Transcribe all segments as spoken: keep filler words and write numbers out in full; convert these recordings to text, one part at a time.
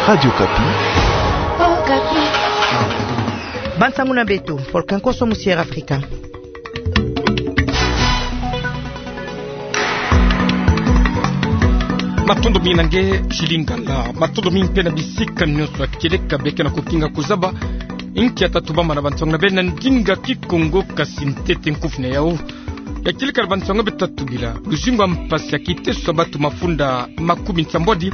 Radio Okapi. Bansangu na beto, Paul Kenkoso mu Sierra Africa. Matondo mingi na nge, Chilingala. Matondo mingi mpe na bisika nyonso ya kieleka beke na kokinga kozaba. Inki ya tatubama na bansangu na beno na ndinga Kikongo, kasi ntete nkufi na yau. Ya kieleka na bansangu beto tatubila: luzingu ya mpasi ya kiteso ya bato mafunda makumi nsambwadi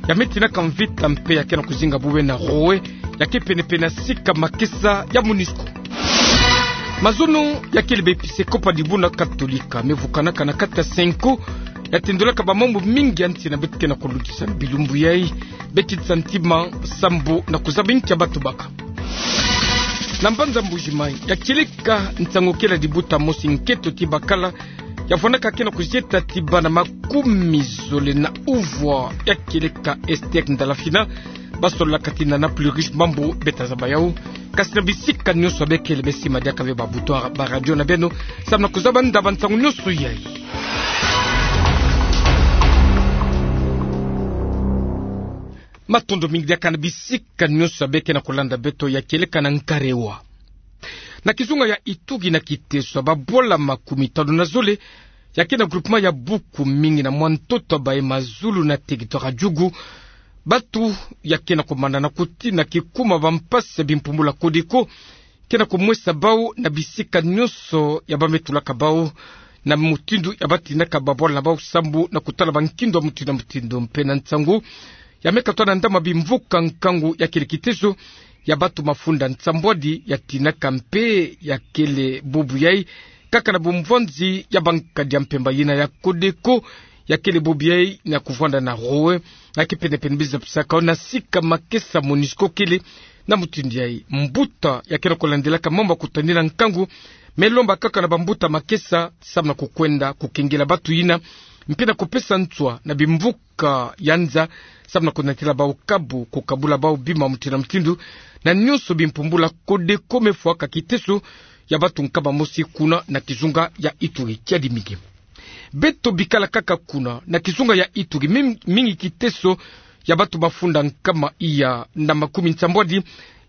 ya me tinaka mvita mpe ya ke na kozinga bobena Roe, ya ke penepene na sika makesa ya Monusco. Mazono ya kele baepisekopo ya dibundu katolika me vukanaka na kati ya cenco ya tendolaka bamambu mingi ya nsi na beto ke na kolutisa na bilumbu yai. Be kitisa ntima sambu na kozaba inki ya bato baka. Na mbanza Mbuji-Mayi, ya kieleka nsangu kele ya libuta mosi nketo ti bakala ya vwandaka ke na kozieta ti bana makumi zole na uvwa ya kieleka Esther Ndalafina. Basololaka tina na plus riche mambu, beto tazaba yau. Kasi na bisika nyonso ya bekele, besima diaka ve ba bouton ya ba radio na beno sambu na kozaba nda bansangu nyonso yai. Matondo mingi diaka na bisika nyonso ya beke na kolanda beto. Ya kieleka na Nkarewa, na kizunga ya Ituri, na kiteso ya babwala makumi tanu na zole ya ke na groupement ya Buku-Mingi, na mwa ntoto ya baye Mazulu na territoire ya Djugu, bato ya ke na komanda na kotina kikuma bampasi ya bimpumbulu ya Codeco ke na komwesa bau na bisika nyonso ya ba me tulaka bau, na mutindu ya ba tinaka babwala na bau sambu na kotala bankindu ya mutindu na mutindu. Mpe na nsangu ya me katwa na ndambu ya bimvuka nkangu, ya kele kiteso ya bato mafunda nsambwadi ya tinaka mpe ya kele bubu yai kaka na bumvwanzi ya bankadi ya mpemba yina ya Codeco, ya kele bubu yai na kovwanda na Roe, ya ke penepene, biza pisaka na sika makesa Monusco kele. Na mutindu yai, mbuta ya ke na kolandelaka mambu ya kutadila nkangu me lomba kaka na bambuta makesa sambu na kokwenda kokengela bato yina, mpe na kopesa nswa na bimvuka ya nza sambu na konatila bau kabu, kokabula bau bima mutindu na mutindu, na nyonso bimpumbulu ya Codeco me fwaka kiteso ya bato nkama mosi kuna na kizunga ya Ituri. Kiadi mingi. Beto bikala kaka kuna na kizunga ya Ituri, mim-, mingi kiteso ya bato mafunda nkama iya na makumi nsambwadi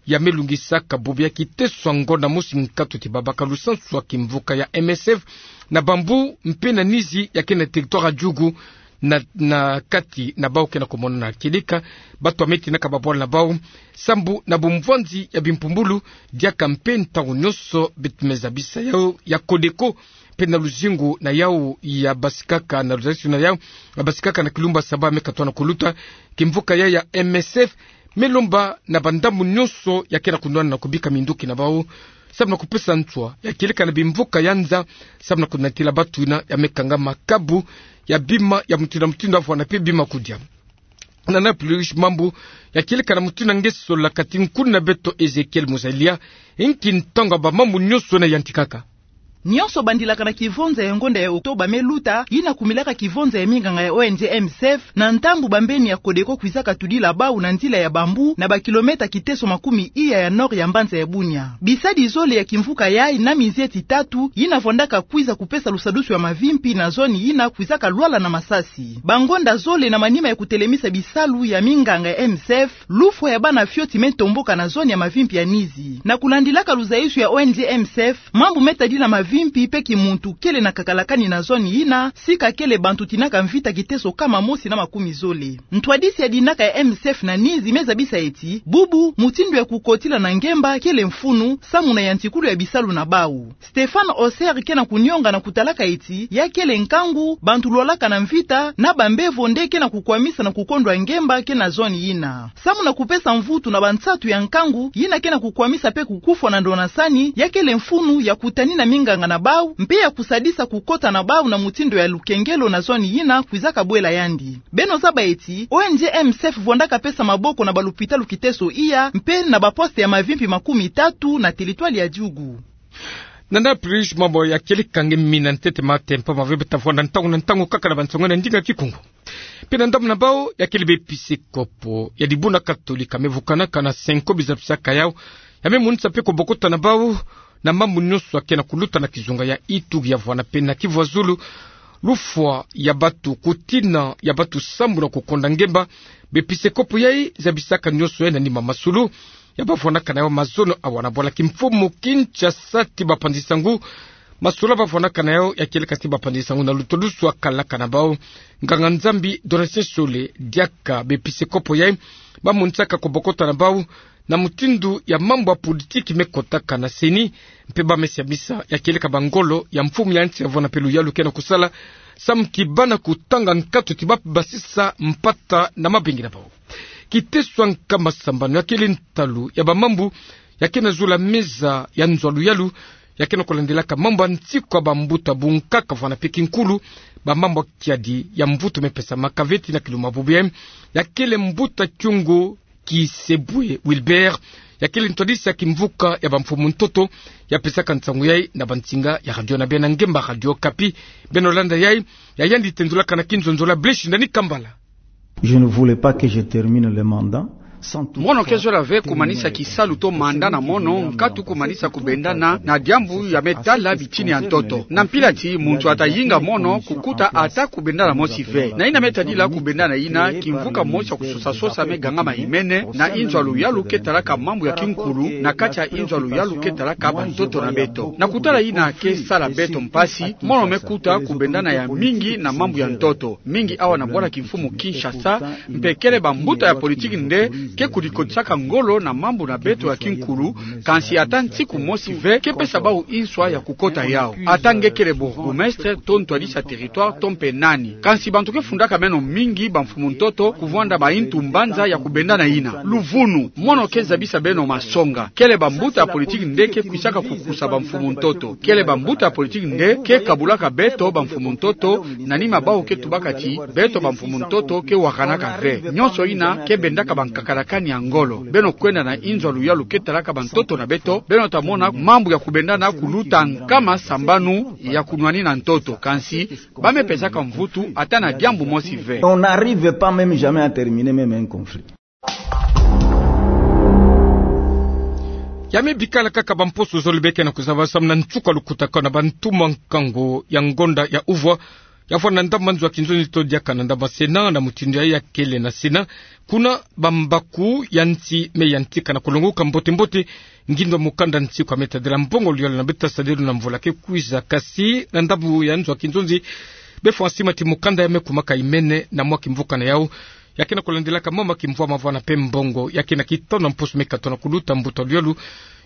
ya me lungisaka bubu ya kiteso ya ngonda mosi nkatu ti babaka lusansu ya kimvuka ya M S F na Bambou mpe na Nizi ya ke na territoire ya Djugu, na, na kati na bau ke na komonana kieleka bato ya me tinaka babwala na bau sambu na bumvwanzi ya bimpumbulu, diaka mpe ntangu nyonso beto me zabisa yau ya Codeco mpe na luzingu na yau ya basikaka, na luzalisu na yau ya basikaka na kilumbu ya saba me katwa na koluta, kimvuka yai ya M S F me lomba na bandambu nyonso ya ke na konwana na kobika minduki na bau sambu na kopesa nswa ya kieleka na bimvuka ya nza sambu na konatila bato yina ya me kangama kabu ya bima ya mutindu na mutindu, ya vwanda mpe bima ya kodia. Na na plus riche mambu, ya kieleka na mutindu nge sololaka ti nkuna na beto Ezekiel Muzalia, inki ntangu ya bamambu nyonso yina yantikaka? Nyonso bandilaka na kivonza ya ngonda ya Octobre me luta, yina kumilaka kivonza ya minganga ya O N G M S F, na ntangu bambeni ya Codeco kwizaka tudila bau na nzila ya Bambou, na ba kilomètre kiteso makumi iya ya nord ya mbanza ya Bunia. Bisadi zole ya kimvuka yai na mizieti tatu yina vwandaka kwiza kupesa lusadusu ya mavimpi na zone yina kwizaka lwala na masasi. Bangonda zole na manima ya kutelemisa bisalu ya minganga ya M S F, lufwa ya bana fioti me tomboka na zone ya mavimpi ya Nizi. Na kulandilaka luzaisu ya O N G M S F, mambu me tadila mavimpi mpe kimuntu kele na kakalakani na zone yina, sika kele bantu tinaka mvita kiteso kama mosi na makumi zole. Ntwadisi ya dinaka ya M S F na Nizi me zabisa eti, bubu, mutindu ya kukotila na ngemba kele mfunu, samu na yantikulu ya bisalu na bau. Stéphane Osser ke na kunionga na kutalaka eti, ya kele nkangu, bantu lwalaka na mvita, na bambevo nde ke na kukwamisa na kukondwa ngemba ke na zone yina. Samu na kupesa mvutu na bansatu ya nkangu, yina ke na kukwamisa mpe kukufwa na ndonasani, ya kele mfunu ya kutanina minganga na bau, mpe ya kusadisa kukota na bau na mutindu ya lukengelo na zone yina kwizaka bwela yandi. Beno zaba eti, O N G M S F vwandaka pesa maboko na balupitalu kiteso iya, mpe na baposte ya mavimpi makumi tatu na teritware ya Djugu. Nana plus mambu ya kieleka nge mina ntete ma tempo ma vebe ta vwanda ntangu na ntangu kaka na bansangu na ndinga Kikongo. Mpe na ndambu na bau ya kele baepisekopo ya dibundu katolika me vukanaka na cenco biza pisaka yau, ya me monisa mpe kobokota na bau na mambu nyonso ya ke na kuluta na kizunga ya Ituri ya vwanda mpe na Kivu ya Zulu, Lufwa ya batu, kutina ya batu sambu na kukonda ngemba. Bepisekopo yai zabisaka nionso yai na nima masolo ya bavwanaka na yao mazono awa na bwala kimfumu Kinshasa ti bapanzi sangu. Masolo bavwanaka na yao ya kieleka ti bapanzi sangu na lutodusu akalaka na bau nganga-Nzambi Donatien Sole. Diaka bepisekopo yai bamonisaka kobokota na bau na mutindu ya mambu ya politiki mekotaka na CENI, mpe bamesiamisa ya kieleka bangolo ya mfumu ya nsi ya vwanda mpe luyalu ke na kusala samu ti bana kutanga nkatu ti babasisa mpata na mabengi na bau. Kiteso ya nkama sambanu ya kele ntalu ya bamambu ya ke na zula meza ya nzo ya luyalu ya ke na kulandelaka mambu ya nsiku ya bambuta bunkaka vwanda mpe kinkulu. Bamambu ya kiadi ya mvutu mepesamaka ve ti na kiluma bubu yai ya kele mbuta Kyungu Kisebwe Wilbert, ya kele ntwadisi ya kimvuka ya bamfumu ntoto, ya pesaka nsangu yai na bansinga ya radio na bia na ngemba Radio Okapi. Beno landa yai, ya yandi tendulaka na kinzonzolo ya Blaise Ndani Kambala. Je ne voulais pas que je termine le mandat sans toutefois... Mono ke zola ve kumanisa kisalu to mandat na mono, nkatu kumanisa kubendana na diambu ya me tala bitini ya ntoto. Na mpila ti muntu ata yinga mono kukuta ata kubendana mosi ve. Na yina me tadila kubendana yina, kimvuka mosi ya kusosa-sosa me gangama imene na inzo ya luyalu ke talaka mambu ya kinkulu, na kati ya inzo ya luyalu ke talaka bantoto na beto. Na kutala yina ke sala beto mpasi, mono me kuta kubendana ya mingi na mambu ya ntoto, mingi awa na bwala kimfumu Kinshasa, mpe kele bambuta ya politiki nde ke kudikotisaka ngolo na mambu na beto ya kinkulu, kansi ata nsiku mosi ve ke pesa bau nswa ya kukota yau. Ata nge kele bourgmestre, to ntwadisi ya territoire, to mpe nani. Kansi bantu ke fundaka meno mingi bamfumu ntoto, kuvwanda bayintu mbanza ya kubendana yina. Luvunu, mono ke zabisa beno masonga. Kele bambuta ya politiki nde ke kwisaka kukusa bamfumu ntoto. Kele bambuta ya politiki nde ke kabulaka beto bamfumu ntoto, na nima bau ke tubaka ti beto bamfumu ntoto ke wakanaka ve. Nionso yina ke bendaka bankakalakani ya ngolo. Beno kwenda na inzo ya luyalu ke talaka bantoto na beto, beno ta mona mambu ya kubendana kuluta nkama sambanu ya kunwanina ntoto. Kansi ba me pesaka mvutu ata na diambu mosi ve. On n'arrive pas même jamais à terminer même un conflit. Ya me bikala kaka bamposo zole be ke na kuzaba samu na nsuka lukutakanu na bantuma nkangu ya ngonda ya uvwa, ya vwanda na ndambu ya nzo ya kinzonzi to diaka na ndambu ya Sénat, na mutindu yai ya kele na Sénat, kuna bambaku ya nsi me yantika na kulongoka mbote-mbote ngindu ya mukanda nsiku ya me tadila mbongo luyalu na beto ta sadila na mvula ke kwiza. Kasi na ndambu ya nzo ya kinzonzi, be fwa sima ti mukanda ya me kumaka imene na mwa kimvuka na yau ya ke na kulandelaka mama kimvwama vwanda mpe mbongo. Ya ke na kitanu na mposo me katona kuluta, mbuta luyalu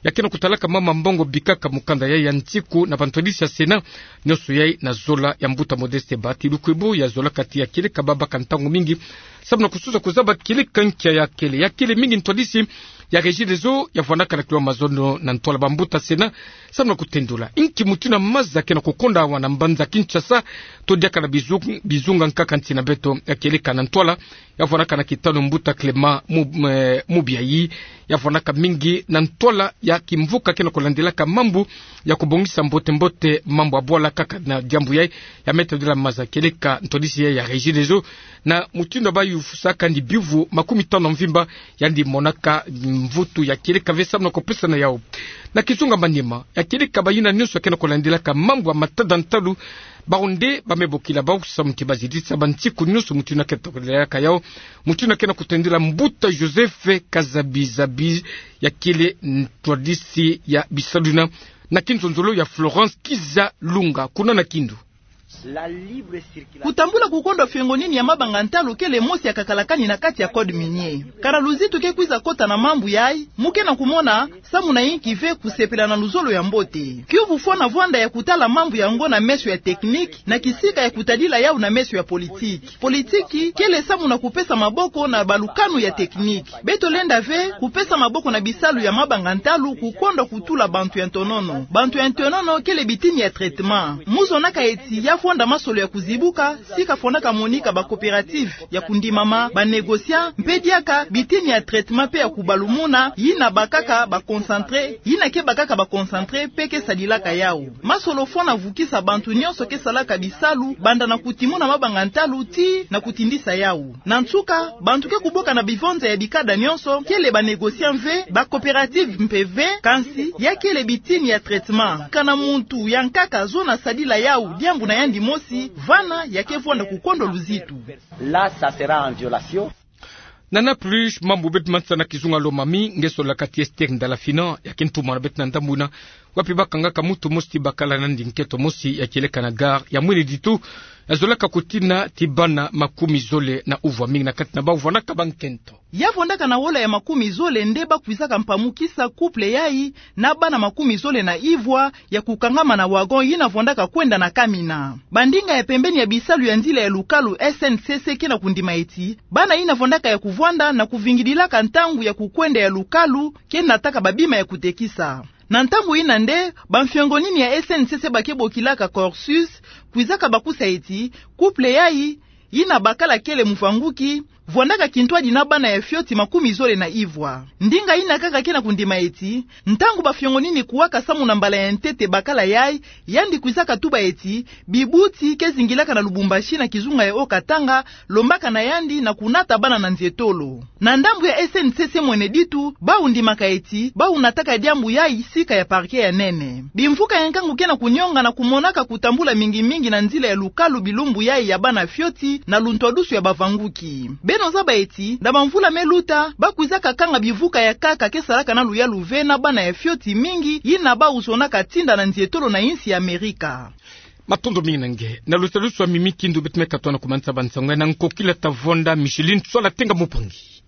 ya ke na kutalaka mama mbongo bikaka mukanda yai ya nsiku na bantwadisi ya Sénat, nionso yai na zola ya mbuta Modeste Bahati Lukwebo, ya zolaka ti ya kieleka babaka ntangu mingi samu na kususa kuzaba kieleka nkia ya kele. Ya kele mingi ntwadisi ya Régideso, ya vwandaka na kiluma mazono na ntwala bambuta Sénat samu na kutendula inki mutindu ya maza ke na kukonda awa na mbanza Kinshasa, to diaka na bizu-, bizunga nkaka nsi na beto. Ya kieleka na ntwala, ya vwandaka na kitanu mbuta Clément Mu-, eh, Mubiayi, ya vwandaka mingi na ntwala ya kimvuka ke na kulandelaka mambu ya kubongisa mbote-mbote mambu ya bwala. Kaka na diambu yai, ya me tadila maza kieleka ntwadisi yai ya Régideso, na mutindu ya bayufusaka ndi biuvu makumi tanu na mvimba, yandi monaka mvutu ya kieleka ve samu na kupesa na yau. Na kizunga manima, ya kieleka bayina nionso ya ke na kulandelaka mambu ya matada ntalu, bau nde ba me bokila bau samu ti bazitisa bansiku nionso mutindu ya ke na kutalaka yau, mutindu ya ke na kutendila mbuta Joseph Kazabizabi, ya kele ntwadisi ya bisalu yina na kinzonzolo ya Florence Kizalunga, kuna na Kindu. Kutambula kukondwa fiongonini ya mabanga ntalu kele mosi ya kakalakani na kati ya code minier. Kana luzitu ke kwiza kota na mambu yai, mu ke na kumona samu na inki ve kusepela na luzolo ya mbote. Kiuvu fwana vwanda ya kutala mambu yango na meso ya technique, na kisika ya kutadila yau na meso ya politique. Politique kele samu na kupesa maboko na balukanu ya technique. Beto lenda ve kupesa maboko na bisalu ya mabanga ntalu kukondwa kutula bantu ya ntonono. Bantu ya ntonono kele bitini ya traitement. Mu zonaka eti ya fwanda masolo ya kuzibuka, sika fwandaka monika ba coopérative ya kundimama, ba négociants, mpe diaka bitini ya traitement mpe ya kubalumuna, yina bakaka ba concentré, yina ke bakaka ba concentré mpe ke sadilaka yau. Masolo fwana vukisa bantu nionso ke salaka bisalu, banda na kutimuna mabanga ntalu tii na kutindisa yau. Na nsuka, bantu ke kuboka na bivonza ya bikada nionso, kele ba négociants ve, ba coopérative mpe ve, kansi ya kele bitini ya traitement. Kana muntu ya nkaka zona sadila yau diambu na yandi dimosi, vana ya ke vwanda kukondwa luzitu. Là, ça sera en violation. Na Naples, mambu beto mansana kizunga lo mami, nge solaka ti Esther Ndalafina, ya ke ntumana beto na ndambu ina, wapi bakangaka muntu mosi ti bakala nandi nketo mosi ya kieleka na gare ya mwini ditu, ya zolaka kutina ti bana makumi zole na uvwa, mingi na kati na bau vwanaka bankento. Ya vwandaka na wola ya makumi zole nde bakwizaka mpamukisa couple yayi na bana makumi zole na ivwa ya kukangama na wagon yina vwandaka kwenda na kamina. Bandinga ya pembeni ya bisalu ya nzila ya lukalu S N C C ke na kundima eti, bana yina vwandaka ya kuvwanda na kuvingidilaka ntangu ya kukwenda ya lukalu ke nataka babima ya kutekisa. Na ntangu yina nde, bamfiongonini ya S N C C ba ke bokilaka Corsus kwizaka bakusa eti, couple yayi, yina bakala kele muvanguki, vwandaka kintwadi na bana ya fioti makumi zole na ivwa. Ndinga yina kaka ke na kundima eti, ntangu bafiongonini kuwaka samu na mbala ya ntete bakala yayi, yandi kwizaka tuba eti, bibuti ke zingilaka na Lubumbashi na kizunga ya Haut-Katanga, lombaka na yandi na kunata bana na nzietolo. Na ndambu ya S N C C mwene ditu, bau ndimaka eti, bau nataka diambu yayi sika ya parquet ya nene. Bimvuka ya nkangu ke na kunionga na kumonaka kutambula mingi mingi na nzila ya lukalu bilumbu yayi ya bana fioti na luntwadusu ya bavanguki. Beno zaba eti, na bamvula me luta, bakwizaka kanga bivuka ya nkaka ke salaka na luyalu ve na bana ya fioti mingi, yina bau zonaka tinda na nzietolo na insi ya Amerika. Matondo mingi na nge. Na lusalusu ya mimi kindu beto me katoa na kumanisa bansango ya na nkokila ta vwanda Micheline Swala Tenga Mupangi.